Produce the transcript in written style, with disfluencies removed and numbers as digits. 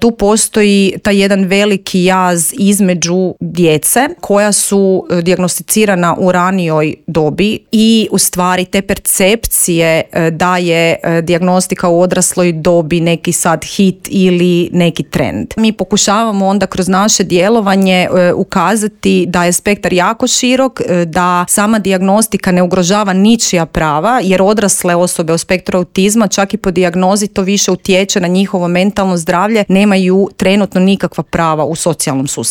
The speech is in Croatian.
Tu postoji taj jedan veliki jaz između djece koja su dijagnosticirana u ranijoj dobi i u stvari te percepcije da je dijagnostika u odrasloj dobi neki sad hit ili neki trend. Mi pokušavamo onda kroz naše djelovanje ukazati da je spektar jako širok, da sama dijagnostika ne ugrožava ničija prava, jer odrasle osobe u spektru autizma čak i po dijagnozi to više utječe na njihovo mentalno zdravlje, nemaju trenutno nikakva prava u socijalnom sustavu.